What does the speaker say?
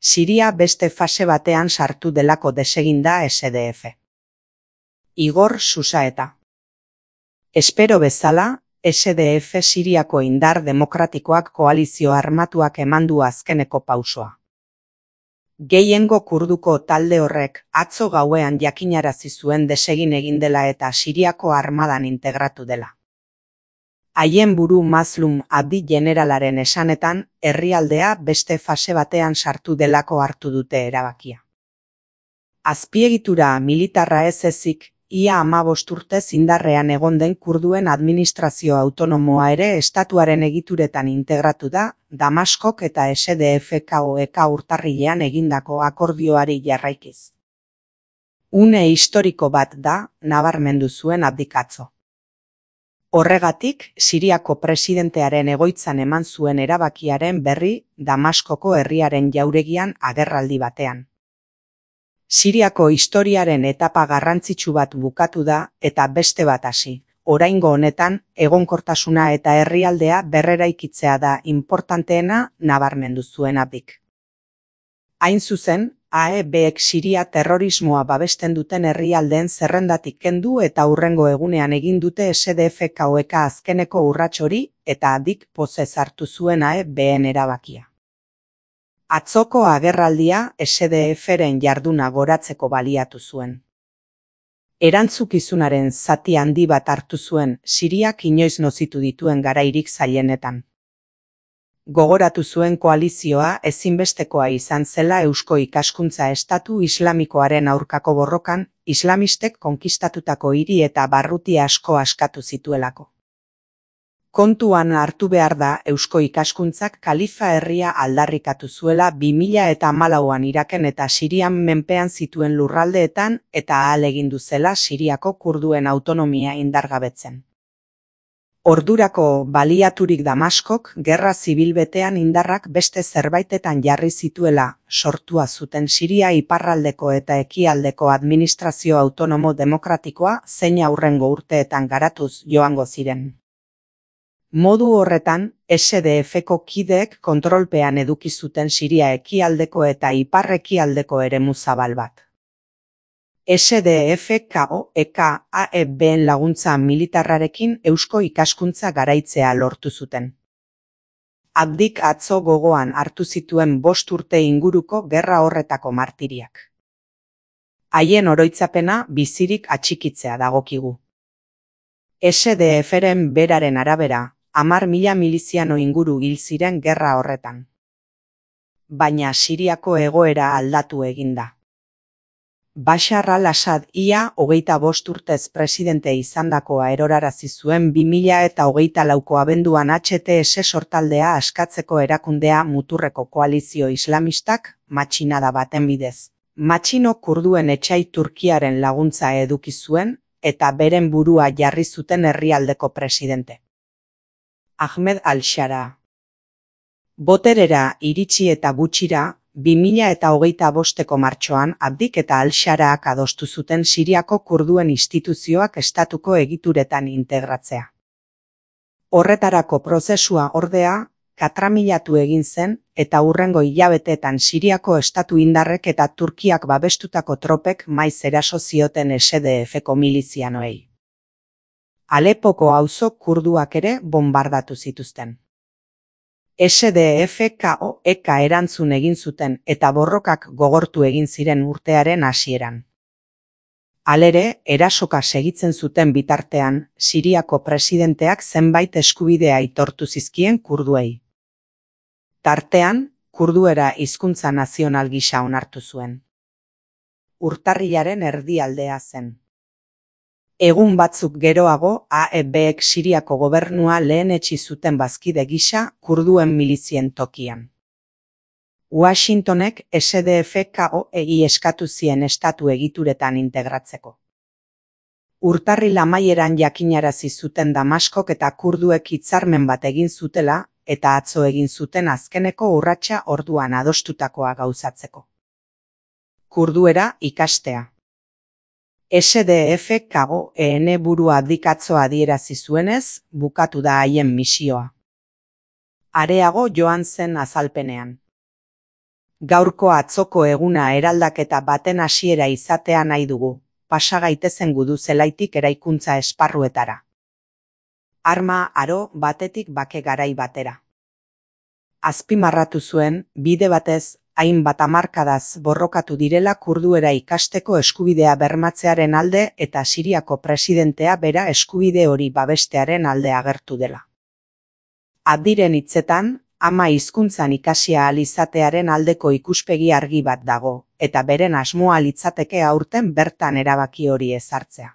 Siria beste fase batean sartu delako desegin da SDF. Igor Susaeta. Espero bezala, SDF Siriako indar demokratikoak koalizio armatuak emandu azkeneko pausoa. Gehiengo kurduko talde horrek atzo gauean jakinarazi zuen desegin egin dela eta Siriako armadan integratu dela. Haien buru Mazlum Abdi generalaren esanetan, herrialdea beste fase batean sartu delako hartu dute erabakia. Azpiegitura militarra ez ezik, ia 15 urtez indarrean egon den kurduen administrazio autonomoa ere estatuaren egituretan integratu da, Damaskok eta SDF-KOek urtarrilean egindako akordioari jarraikiz. Une historiko bat da, nabarmendu zuen Abdik atzo. Horregatik, Siriako presidentearen egoitzan eman zuen erabakiaren berri Damaskoko herriaren jauregian agerraldi batean. Siriako historiaren etapa garrantzitsu bat bukatu da eta beste bat hasi. Oraingo honetan, egonkortasuna eta herrialdea berreraikitzea da inportanteena nabarmendu zuen Abdik. Hain zuzen, AEBek Siria terrorismoa babesten duten herrialdeen zerrendatik kendu eta hurrengo egunean egin dute SDF-KOek azkeneko urrats hori eta Abdik pozez hartu zuen AEBen erabakia. Atzoko agerraldia SDF-ren jarduna goratzeko baliatu zuen. Erantzukizunaren zati handi bat hartu zuen Siriak inoiz nozitu dituen garairik zailenetan. Gogoratu zuen koalizioa ezinbestekoa izan zela Eusko Ikaskuntza Estatu Islamikoaren aurkako borrokan, islamistek konkistatutako hiri eta barruti asko askatu zituelako. Kontuan hartu behar da Eusko Ikaskuntzak Kalifa herria aldarrikatu zuela 2014an Iraken eta Sirian menpean zituen lurraldeetan eta ahalegindu zela Siriako kurduen autonomia indargabetzen. Ordurako baliaturik Damaskok gerra zibil betean indarrak beste zerbaitetan jarri zituela sortua zuten Siria iparraldeko eta ekialdeko administrazio autonomo demokratikoa zein aurrengo urteetan garatuz joango ziren. Modu horretan, SDF-ko kideek kontrolpean eduki zuten Siria ekialdeko eta ipar-ekialdeko eremu zabal bat. SDF-KOek AEBen laguntza militarrarekin Eusko Ikaskuntza garaitzea lortu zuten. Abdik atzo gogoan hartu zituen 5 urte inguruko gerra horretako martiriak. Haien oroitzapena bizirik atxikitzea dagokigu. SDF-ren beraren arabera, 10.000 miliziano inguru hil ziren gerra horretan. Baina Siriako egoera aldatu eginda. Bashar al-Assad ia 25 urtez presidente izandakoa erorarazi zuen 2024ko abenduan HTS sortaldea askatzeko erakundea muturreko koalizio islamistak matxinada baten bidez. Matxino kurduen etsai Turkiaren laguntza eduki zuen eta beren burua jarri zuten herrialdeko presidente. Ahmed al-Shara. Boterera iritsi eta gutxira, 2025ko martxoan Abdik eta al-Sharaak adostu zuten Siriako kurduen instituzioak estatuko egituretan integratzea. Horretarako prozesua ordea, katramilatu egin zen eta hurrengo hilabeteetan Siriako estatu indarrek eta Turkiak babestutako tropek maiz eraso zioten SDF-ko milizianoei. Alepoko auzo kurduak ere bombardatu zituzten. SDF-KOek erantzun egin zuten eta borrokak gogortu egin ziren urtearen hasieran. Halere, erasoka segitzen zuten bitartean, Siriako presidenteak zenbait eskubidea aitortu zizkien kurduei. Tartean, kurduera hizkuntza nazional gisa onartu zuen. Urtarrilaren erdialdea zen. Egun batzuk geroago, AEBek Siriako gobernua lehenetsi zuten bazkide gisa kurduen milizien tokian. Washingtonek SDF-KOei eskatu zien estatu egituretan integratzeko. Urtarril amaieran jakinarazi zuten Damaskok eta kurduek hitzarmen bat egin zutela eta atzo egin zuten azkeneko urratsa orduan adostutakoa gauzatzeko. Kurduera ikastea. SDF-KOen burua Abdik atzo adierazi zuenez, bukatu da haien misioa. Areago joan zen azalpenean. Gaurko atzoko eguna eraldaketa baten hasiera izatea nahi dugu, pasa gaitezen gudu zelaitik eraikuntza esparruetara. Arma aro batetik bake garai batera. Azpimarratu zuen, bide batez, hainbat hamarkadaz borrokatu direla kurduera ikasteko eskubidea bermatzearen alde eta Siriako presidentea bera eskubide hori babestearen alde agertu dela. Abdiren hitzetan, ama hizkuntzan ikasia ahal izatearen aldeko ikuspegi argi bat dago, eta beren asmoa litzateke aurten bertan erabaki hori ezartzea.